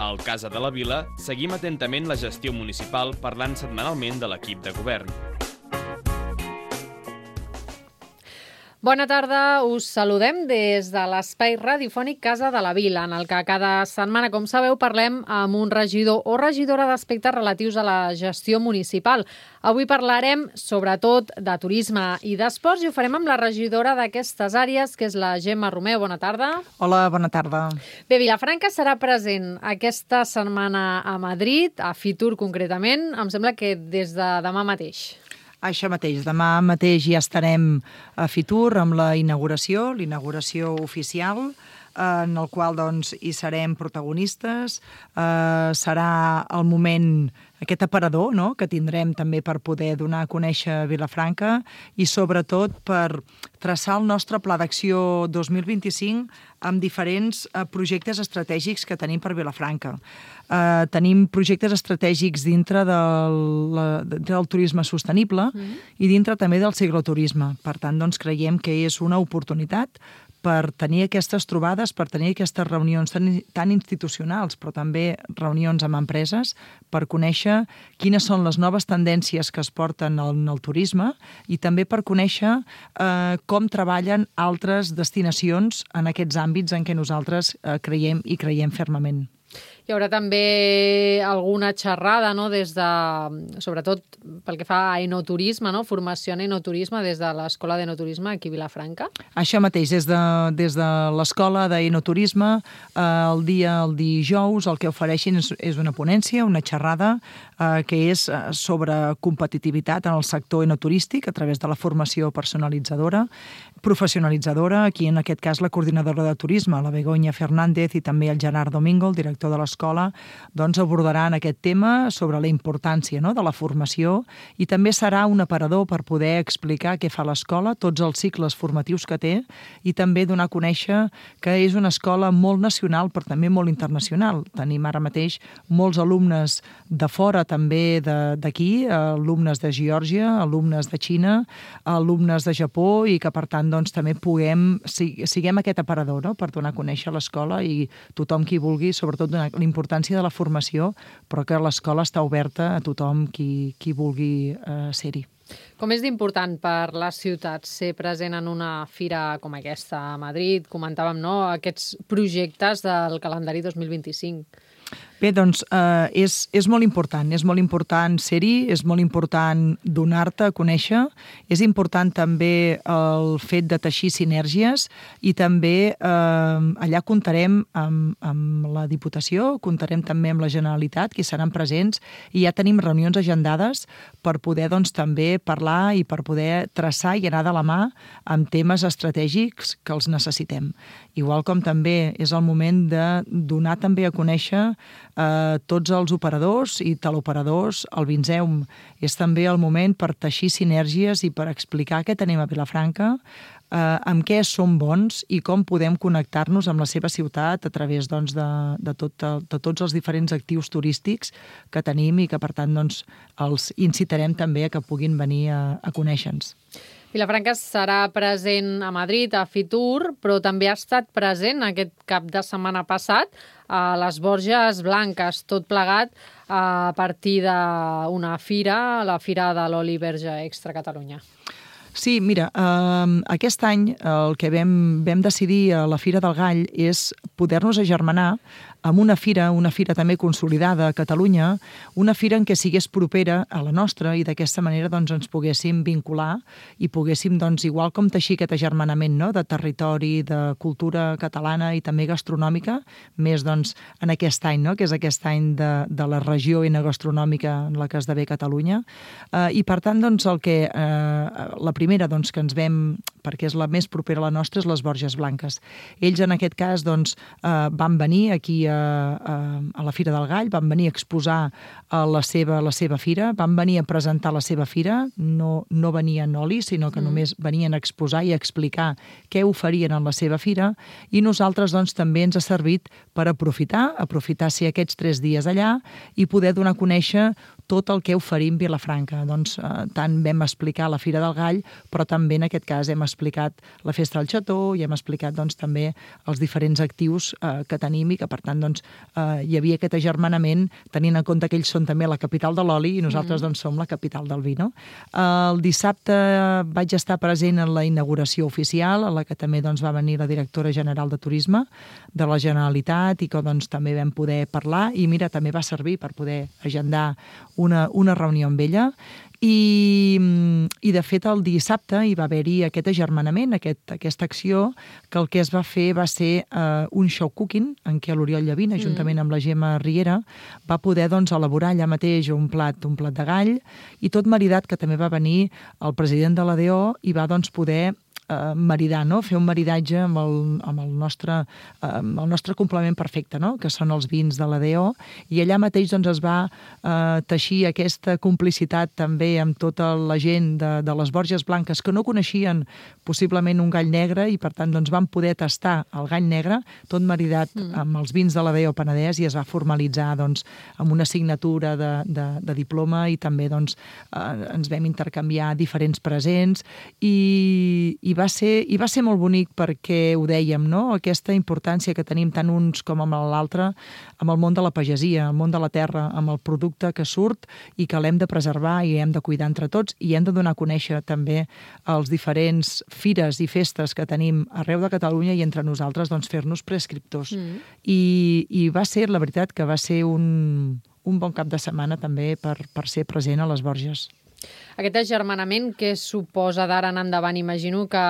Al Casa de la Vila seguim atentament la gestió municipal parlant setmanalment de l'equip de govern. Bona tarda, us saludem des de l'espai radiofònic Casa de la Vila, en el que cada setmana, com sabeu, parlem amb un regidor o regidora d'aspectes relatius a la gestió municipal. Avui parlarem sobretot de turisme i d'esports i ho farem amb la regidora d'aquestes àrees, que és la Gemma Romeu. Bona tarda. Hola, bona tarda. Bé, Vilafranca serà present aquesta setmana a Madrid, a Fitur concretament, em sembla que des de demà mateix. Això mateix, demà mateix ja estarem a Fitur amb la inauguració oficial, en el qual doncs, hi serem protagonistes. Serà el moment, aquest aparador, no?, que tindrem també per poder donar a conèixer Vilafranca i sobretot per traçar el nostre pla d'acció 2025 amb diferents projectes estratègics que tenim per Vilafranca. Tenim projectes estratègics dintre del turisme sostenible i dintre també del cicloturisme. Per tant, doncs, creiem que és una oportunitat per tenir aquestes trobades, per tenir aquestes reunions tan institucionals, però també reunions amb empreses, per conèixer quines són les noves tendències que es porten en el turisme i també per conèixer com treballen altres destinacions en aquests àmbits en què nosaltres creiem i creiem fermament. Hi haurà també alguna xerrada, no?, des de, sobretot pel que fa a enoturisme, no?, formació en enoturisme des de l'Escola d'Enoturisme aquí a Vilafranca. Això mateix, des de l'Escola d'Enoturisme, el dijous el que ofereixin és una ponència, una xerrada que és sobre competitivitat en el sector enoturístic a través de la formació personalitzadora, professionalitzadora, aquí en aquest cas la coordinadora de turisme, la Begoña Fernández, i també el Gerard Domingo, el director de l'escola, doncs abordaran aquest tema sobre la importància, no?, de la formació, i també serà un aparador per poder explicar què fa l'escola, tots els cicles formatius que té, i també donar a conèixer que és una escola molt nacional però també molt internacional. Tenim ara mateix molts alumnes de fora també d'aquí, alumnes de Geòrgia, alumnes de Xina, alumnes de Japó, i que per tant doncs, també siguem aquest aparador, no?, per donar a conèixer l'escola i tothom qui vulgui, sobretot donar la importància de la formació, però que l'escola està oberta a tothom qui vulgui ser-hi. Com és d'important per les ciutats ser present en una fira com aquesta a Madrid? Comentàvem, no?, aquests projectes del calendari 2025. Bé, doncs és molt important ser-hi, és molt important donar-te a conèixer, és important també el fet de teixir sinergies i també allà comptarem amb la Diputació, comptarem també amb la Generalitat, que seran presents, i ja tenim reunions agendades per poder doncs, també parlar i per poder traçar i anar de la mà amb temes estratègics que els necessitem. Igual com també és el moment de donar també a conèixer tots els operadors i teleoperadors, el Vinseum. És també el moment per teixir sinergies i per explicar què tenim a Vilafranca, amb què som bons i com podem connectar-nos amb la seva ciutat a través doncs, de tots els diferents actius turístics que tenim i que, per tant, doncs, els incitarem també a que puguin venir a conèixer-nos. Vilafranca serà present a Madrid, a Fitur, però també ha estat present aquest cap de setmana passat a les Borges Blanques, tot plegat a partir d'una fira, la Fira de l'Oli Verge Extra Catalunya. Sí, mira, aquest any el que vam decidir a la Fira del Gall és poder-nos agermanar amb una fira també consolidada a Catalunya, una fira en què sigués propera a la nostra i d'aquesta manera doncs, ens poguéssim vincular i poguéssim, doncs, igual com teixir aquest agermanament, no?, de territori, de cultura catalana i també gastronòmica, més doncs, en aquest any, no?, que és aquest any de la regió enogastronòmica en la que esdevé Catalunya. I per tant, doncs, la primera doncs, que ens vam, perquè és la més propera a la nostra, és les Borges Blanques. Ells, en aquest cas, doncs, van venir aquí a la Fira del Gall, van venir a exposar la seva fira, van venir a presentar la seva fira, no venien oli, sinó que només venien a exposar i a explicar què oferien en la seva fira, i nosaltres doncs, també ens ha servit per aprofitar ser aquests 3 dies allà i poder donar a conèixer tot el que oferim Vilafranca. Doncs tant vam explicar la Fira del Gall, però també en aquest cas hem explicat la Festa del Xató i hem explicat doncs, també els diferents actius que tenim i que per tant doncs, hi havia aquest agermanament tenint en compte que ells són també la capital de l'oli i nosaltres doncs, som la capital del vi. No? El dissabte vaig estar present en la inauguració oficial, a la que també doncs, va venir la directora general de Turisme de la Generalitat i que doncs, també vam poder parlar i mira, també va servir per poder agendar una reunió amb ella i de fet el dissabte hi va haver-hi aquest agermanament, aquesta acció que el que es va fer va ser un show cooking en què l'Oriol Llavina, juntament amb la Gemma Riera, va poder doncs, elaborar allà mateix un plat de gall i tot maridat que també va venir el president de l'ADO i va doncs, poder maridar, no? Fer un maridatge amb el nostre complement perfecte, no? Que són els vins de l'ADO, i allà mateix doncs, es va teixir aquesta complicitat també amb tota la gent de les Borges Blanques que no coneixien possiblement un gall negre i per tant doncs, van poder tastar el gall negre, tot maridat amb els vins de l'ADO Penedès i es va formalitzar doncs, amb una signatura de diploma i també doncs, ens vam intercanviar diferents presents i va ser molt bonic perquè ho dèiem, no? Aquesta importància que tenim tant uns com amb l'altre amb el món de la pagesia, el món de la terra, amb el producte que surt i que l'hem de preservar i hem de cuidar entre tots i hem de donar a conèixer també els diferents fires i festes que tenim arreu de Catalunya i entre nosaltres doncs, fer-nos prescriptors. I va ser, la veritat, que va ser un bon cap de setmana també per ser present a les Borges. Aquest agermanament que suposa d'ara en endavant, imagino que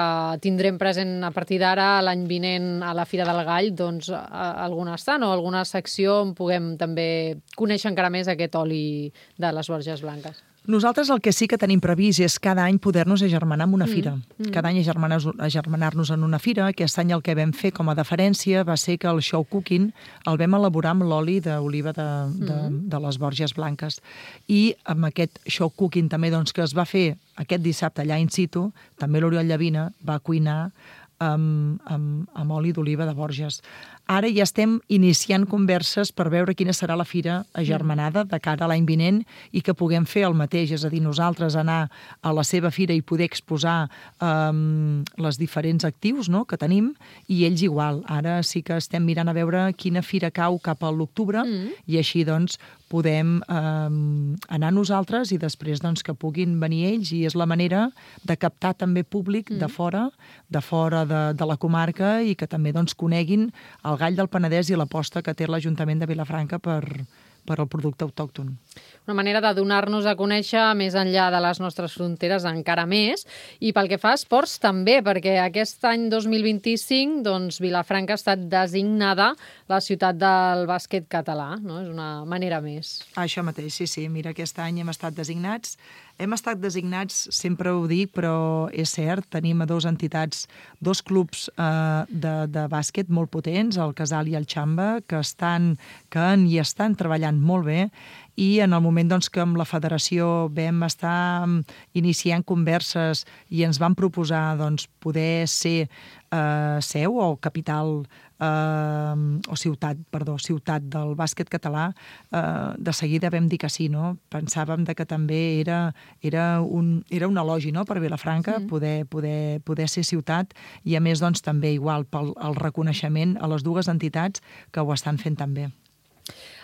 tindrem present a partir d'ara l'any vinent a la Fira del Gall doncs, algun estant o alguna secció on puguem també conèixer encara més aquest oli de les Borges Blanques. Nosaltres el que sí que tenim previst és cada any poder-nos agermanar en una fira. Cada any agermanar-nos en una fira. Aquest any el que vam fer com a deferència va ser que el show cooking el vam elaborar amb l'oli d'oliva de les Borges Blanques. I amb aquest show cooking també doncs, que es va fer aquest dissabte allà in situ, també l'Oriol Llavina va cuinar amb oli d'oliva de Borges. Ara ja estem iniciant converses per veure quina serà la fira agermanada de cara a l'any vinent i que puguem fer el mateix, és a dir, nosaltres anar a la seva fira i poder exposar les diferents actius no, que tenim i ells igual. Ara sí que estem mirant a veure quina fira cau cap a l'octubre i així doncs podem anar nosaltres i després doncs, que puguin venir ells i és la manera de captar també públic de fora de la comarca i que també doncs, coneguin el gall del Penedès i l'aposta que té l'Ajuntament de Vilafranca per al producte autòcton. Una manera de donar-nos a conèixer més enllà de les nostres fronteres encara més i pel que fa a esports també, perquè aquest any 2025 doncs, Vilafranca ha estat designada la ciutat del bàsquet català, no? És una manera més. Això mateix, sí. Mira, aquest any hem estat designats. Hem estat designats, sempre ho dic, però és cert, tenim a dues entitats, dos clubs de bàsquet molt potents, el Casal i el Xamba, que estan treballant molt bé i en el moment doncs, que amb la federació vam estar iniciant converses i ens van proposar doncs, poder ser seu o capital o ciutat del bàsquet català, de seguida vam dir que sí, no? Pensàvem que també era un elogi no? Per Vilafranca poder ser ciutat i a més doncs, també igual pel reconeixement a les dues entitats que ho estan fent també.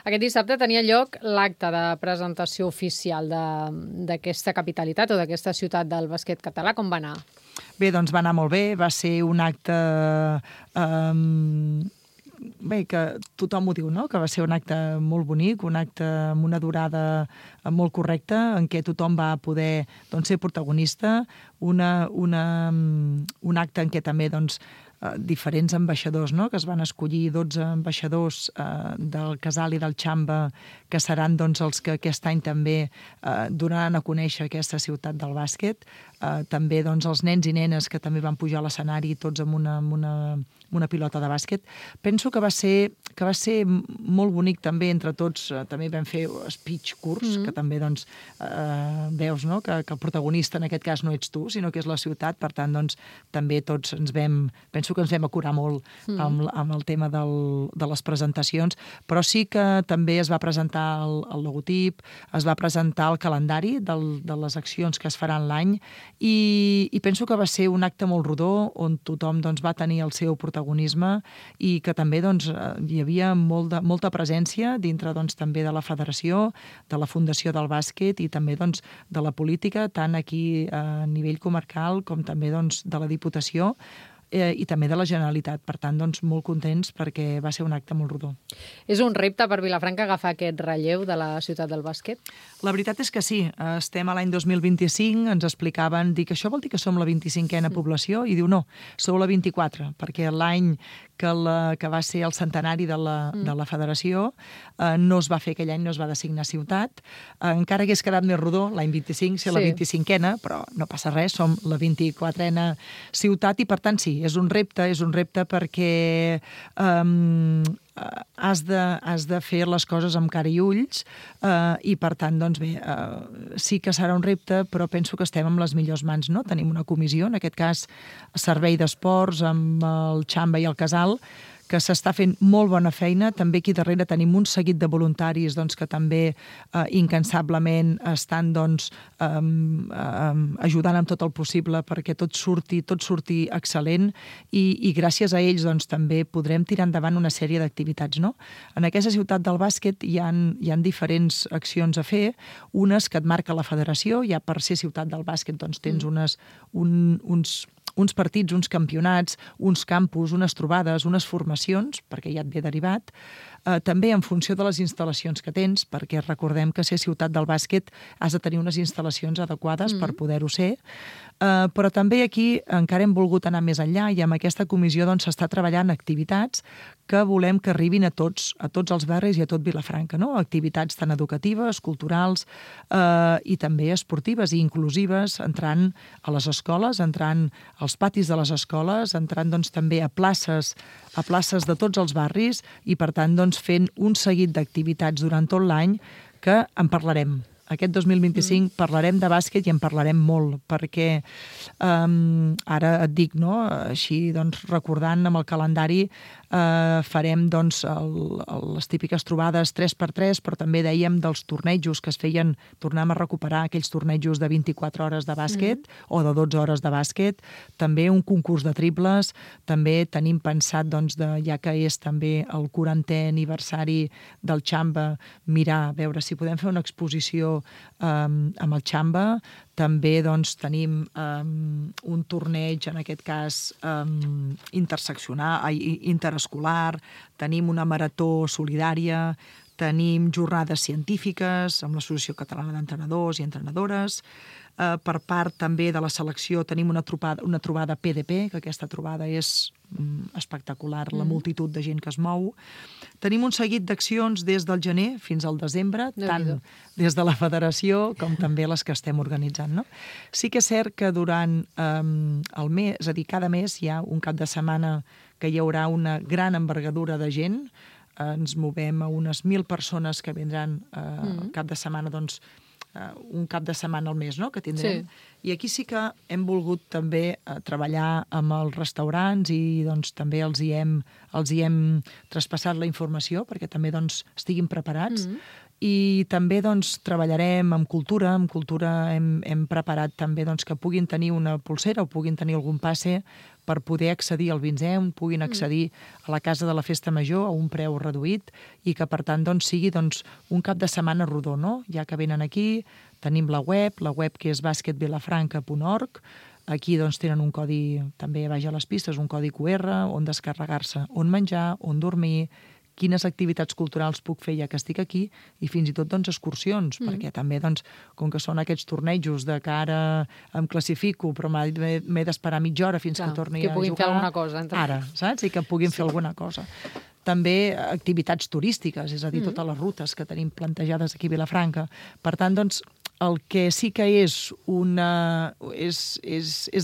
Aquest dissabte tenia lloc l'acte de presentació oficial d'aquesta capitalitat o d'aquesta ciutat del bàsquet català. Com va anar? Bé, doncs va anar molt bé. Va ser un acte que tothom ho diu, no? Que va ser un acte molt bonic, un acte amb una durada molt correcta, en què tothom va poder doncs, ser protagonista, un acte en què també doncs, diferents ambaixadors, no? Que es van escollir 12 ambaixadors del Casal i del Xamba, que seran doncs, els que aquest any també donaran a conèixer aquesta ciutat del bàsquet. També doncs, els nens i nenes que també van pujar a l'escenari tots amb una una pilota de bàsquet. Penso que va ser molt bonic també entre tots. També vam fer speech curts, que també doncs, veus, no?, que el protagonista en aquest cas no ets tu, sinó que és la ciutat. Per tant, doncs, també tots penso que ens vam acurar molt amb el tema de les presentacions, però sí que també es va presentar el logotip, es va presentar el calendari de les accions que es faran l'any i penso que va ser un acte molt rodó on tothom doncs, va tenir el seu protagonisme i que també doncs, hi havia molta presència dintre doncs, també de la federació, de la Fundació del Bàsquet i també doncs, de la política, tant aquí a nivell comarcal com també doncs, de la Diputació i també de la Generalitat. Per tant, doncs, molt contents perquè va ser un acte molt rodó. És un repte per Vilafranca agafar aquest relleu de la ciutat del bàsquet? La veritat és que sí. Estem a l'any 2025, ens explicaven, dic, això vol dir que som la 25a població? I diu, no, sou la 24, perquè l'any que va ser el centenari de la federació no es va fer aquell any, no es va designar ciutat. Encara hagués quedat més rodó l'any 25 ser la 25a, però no passa res, som la 24a ciutat i per tant sí, és un repte perquè has de fer les coses amb cara i ulls i per tant, doncs bé, sí que serà un repte, però penso que estem amb les millors mans, no? Tenim una comissió, en aquest cas Servei d'Esports, amb el Xamba i el Casal, que s'està fent molt bona feina. També aquí darrere tenim un seguit de voluntaris doncs, que també incansablement estan doncs, ajudant amb tot el possible perquè tot surti excel·lent i gràcies a ells doncs, també podrem tirar endavant una sèrie d'activitats. No? En aquesta ciutat del bàsquet hi ha diferents accions a fer, unes que et marca la federació, ja per ser ciutat del bàsquet doncs, tens uns partits, uns campionats, uns campus, unes trobades, unes formacions, perquè ja et ve derivat, també en funció de les instal·lacions que tens, perquè recordem que ser ciutat del bàsquet has de tenir unes instal·lacions adequades per poder-ho ser, però també aquí encara hem volgut anar més enllà i amb aquesta comissió doncs, s'està treballant activitats que volem que arribin a tots els barris i a tot Vilafranca, no? Activitats tan educatives, culturals i també esportives i inclusives, entrant a les escoles, entrant als patis de les escoles, entrant doncs, també a places de tots els barris i, per tant, doncs, fent un seguit d'activitats durant tot l'any que en parlarem. Aquest 2025 parlarem de bàsquet i en parlarem molt, perquè ara et dic, no? Així doncs, recordant amb el calendari farem doncs, les típiques trobades 3x3, però també dèiem dels tornejos que es feien, tornem a recuperar aquells tornejos de 24 hores de bàsquet o de 12 hores de bàsquet, també un concurs de triples, també tenim pensat, doncs, ja que és també el 40è aniversari del Xamba, mirar, veure si podem fer una exposició amb el Xamba. També doncs, tenim un torneig, en aquest cas interescolar, tenim una marató solidària, tenim jornades científiques amb l'Associació Catalana d'Entrenadors i Entrenadores. Per part també de la selecció tenim una trobada PDP, que aquesta trobada és espectacular, la multitud de gent que es mou. Tenim un seguit d'accions des del gener fins al desembre, tant des de la federació com també les que estem organitzant. No? Sí que és cert que durant el mes, és a dir, cada mes hi ha un cap de setmana que hi haurà una gran envergadura de gent. Ens movem a unes 1.000 persones que vindran cap de setmana, doncs, un cap de setmana al mes, no?, que tindrem. Sí. I aquí sí que hem volgut també treballar amb els restaurants i doncs, també els hi hem traspassat la informació perquè també doncs, estiguin preparats. I també doncs, treballarem amb cultura. Amb cultura hem preparat també doncs, que puguin tenir una pulsera o puguin tenir algun passe per poder accedir al Vinzem, puguin accedir a la Casa de la Festa Major a un preu reduït i que, per tant, doncs, sigui doncs, un cap de setmana rodó, no? Ja que venen aquí, tenim la web que és basketvilafranca.org. Aquí doncs, tenen un codi, també baix a les pistes, un codi QR on descarregar-se, on menjar, on dormir, quines activitats culturals puc fer ja que estic aquí i fins i tot doncs, excursions, perquè també, doncs, com que són aquests tornejos de que ara em classifico però m'he d'esperar mitja hora fins que torni a jugar. Que puguin fer alguna cosa. Ara, saps? I que puguin fer alguna cosa. També activitats turístiques, és a dir, totes les rutes que tenim plantejades aquí a Vilafranca. Per tant, doncs, el que sí que és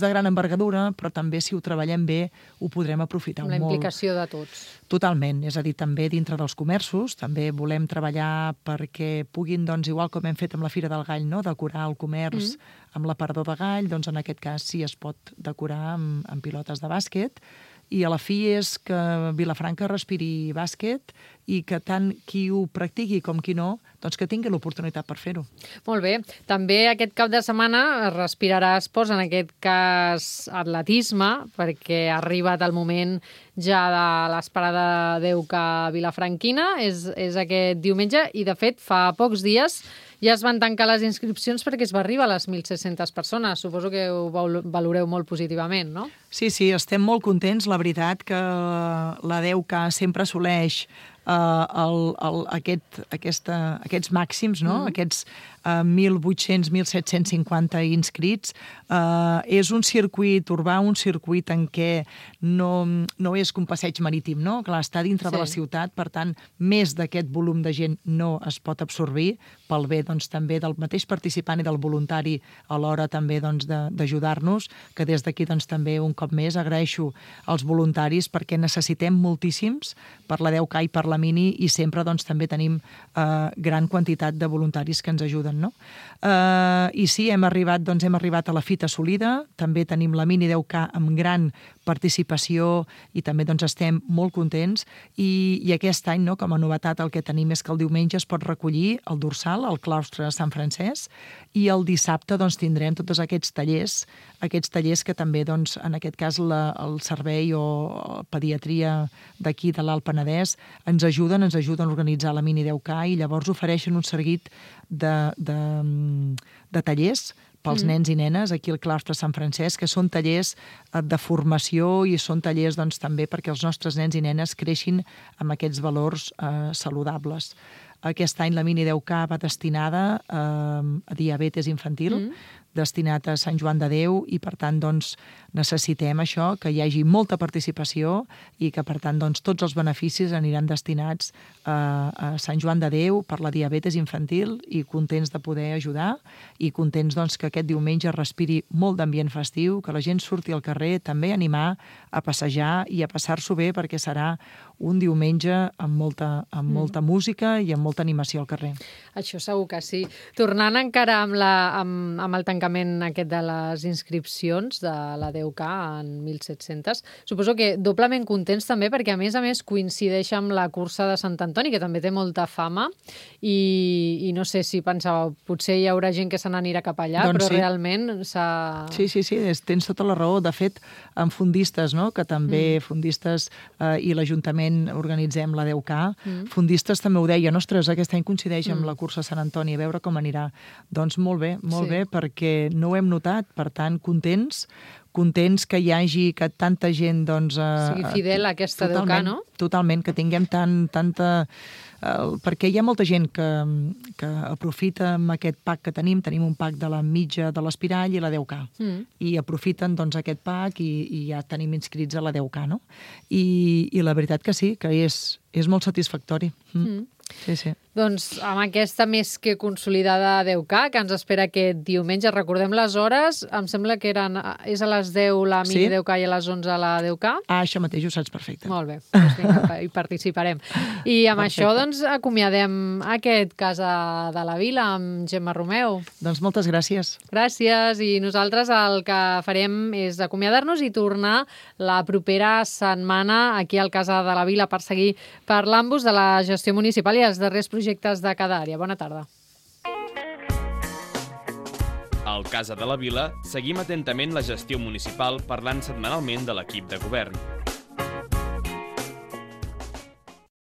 de gran envergadura, però també si ho treballem bé ho podrem aprofitar molt. La implicació de tots. Totalment, és a dir, també dintre dels comerços, també volem treballar perquè puguin, doncs, igual com hem fet amb la Fira del Gall, no?, decorar el comerç amb l'aparador de gall, doncs en aquest cas sí es pot decorar amb pilotes de bàsquet, i a la fi és que Vilafranca respiri bàsquet i que tant qui ho practiqui com qui no, doncs que tingui l'oportunitat per fer-ho. Molt bé. També aquest cap de setmana es respirarà esports, en aquest cas atletisme, perquè ha arribat el moment ja de l'esperada DEUCA vilafranquina, és aquest diumenge, i de fet fa pocs dies ja es van tancar les inscripcions perquè es va arribar a les 1.600 persones. Suposo que ho valoreu molt positivament, no? Sí, estem molt contents. La veritat que la DEUCA sempre assoleix aquests màxims, no? Aquests 1.800, 1.750 inscrits. És un circuit urbà, un circuit en què no és un passeig marítim, no? Clar, està dintre de la ciutat, per tant, més d'aquest volum de gent no es pot absorbir, pel bé, doncs, també del mateix participant i del voluntari a l'hora també, doncs, d'ajudar-nos, que des d'aquí, doncs, també un cop més agraeixo als voluntaris perquè necessitem moltíssims per la DEUCA i per la Mini, i sempre, doncs, també tenim gran quantitat de voluntaris que ens ajuden, no? I sí, hem arribat a la fita assolida, també tenim la Mini DEUCA amb gran participació i també, doncs, estem molt contents, i aquest any, no, com a novetat, el que tenim és que el diumenge es pot recollir el dorsal al claustre de Sant Francesc, i el dissabte, doncs, tindrem tots aquests tallers que també, doncs, en aquest cas el servei o pediatria d'aquí de l'Alt Penedès ens ajuden a organitzar la Mini DEUCA, i llavors ofereixen un seguit de tallers pels nens i nenes aquí al claustre Sant Francesc, que són tallers de formació i són tallers, doncs, també perquè els nostres nens i nenes creixin amb aquests valors saludables. Aquest any la Mini DEUCA va destinada a diabetes infantil, destinat a Sant Joan de Déu, i per tant, doncs, necessitem això, que hi hagi molta participació i que per tant, doncs, tots els beneficis aniran destinats a Sant Joan de Déu per la diabetes infantil, i contents de poder ajudar i contents, doncs, que aquest diumenge respiri molt d'ambient festiu, que la gent surti al carrer, també animar a passejar i a passar-s'ho bé, perquè serà un diumenge amb molta música i amb molta animació al carrer. Això segur que sí. Tornant encara amb el tancament aquest de les inscripcions de la DEUCA en 1.700, suposo que doblement contents també perquè a més coincideix amb la cursa de Sant Antoni, que també té molta fama, i no sé si pensàveu, potser hi haurà gent que se n'anirà cap allà, doncs però sí. Realment s'ha... Sí, tens tota la raó. De fet, amb fondistes, no?, que també fondistes i l'Ajuntament organitzem la DEUCA, fondistes també ho deien, ostres, aquest any coincideix amb la cursa Sant Antoni, a veure com anirà. Doncs molt bé, perquè no ho hem notat, per tant, contents que hi hagi, que tanta gent, doncs... sigui fidel a aquesta DEUCA, no? Totalment, que tinguem tanta... perquè hi ha molta gent que aprofita amb aquest pack que tenim un pack de la mitja de l'Espirall i la DEUCA, i aprofiten, doncs, aquest pack i ja tenim inscrits a la DEUCA, no? I la veritat que sí, que és molt satisfactori. Sí. Doncs amb aquesta més que consolidada DEUCA, que ens espera aquest diumenge, recordem les hores, em sembla que és a les 10 la Mini DEUCA i a les 11 la DEUCA. Això mateix, ho saps perfecte. Molt bé, doncs vinga, hi participarem. I amb això, doncs, acomiadem aquest Casa de la Vila amb Gemma Romeu. Doncs moltes gràcies. Gràcies, i nosaltres el que farem és acomiadar-nos i tornar la propera setmana aquí al Casa de la Vila per seguir parlant-vos de la gestió municipal i els darrers projectes de cada àrea. Bona tarda. Al Casa de la Vila seguim atentament la gestió municipal parlant setmanalment de l'equip de govern.